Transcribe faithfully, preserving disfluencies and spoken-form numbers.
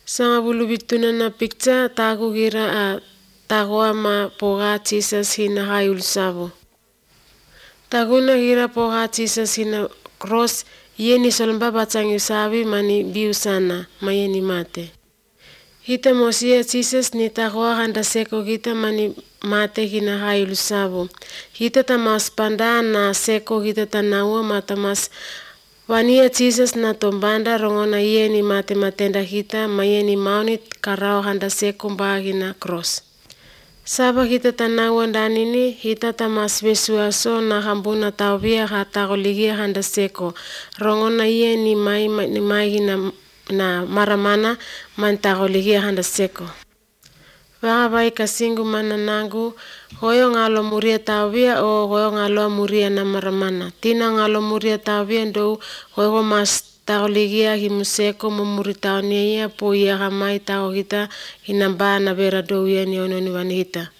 Sanga bulu bituna na picture tagu gira a tago ama poga Jesus hina hayul savo. Taguna gira poga Jesus hina cross yeni solomba batang yusavi mani biu sana mayeni mate. Hita mosia Jesus ni tagoa handa seko kita mani mate hina hayul savo. Hita tamas panda na seko hita tanawa matamas wania Jesus na tombanda rongona yeni mate matenda hita mayeni maunit karao handa seko mbagina cross. Saba hita tanawa ndanini hita tamas besuaso na hambuna tawia hata goligia handa seko rongona yeni mai ni mai na na maramana mantagoligia handa seko. Vaga bai kasingu mananangu hoyo ngalo muria tawia o hoyo ngalo muria na maramana. Tina ngalo muria tawia ndo hoyo mas tagoligia himuseko mumuritaonia po iya gamai tago hita hinamba na vera do yeni ononi wanihita.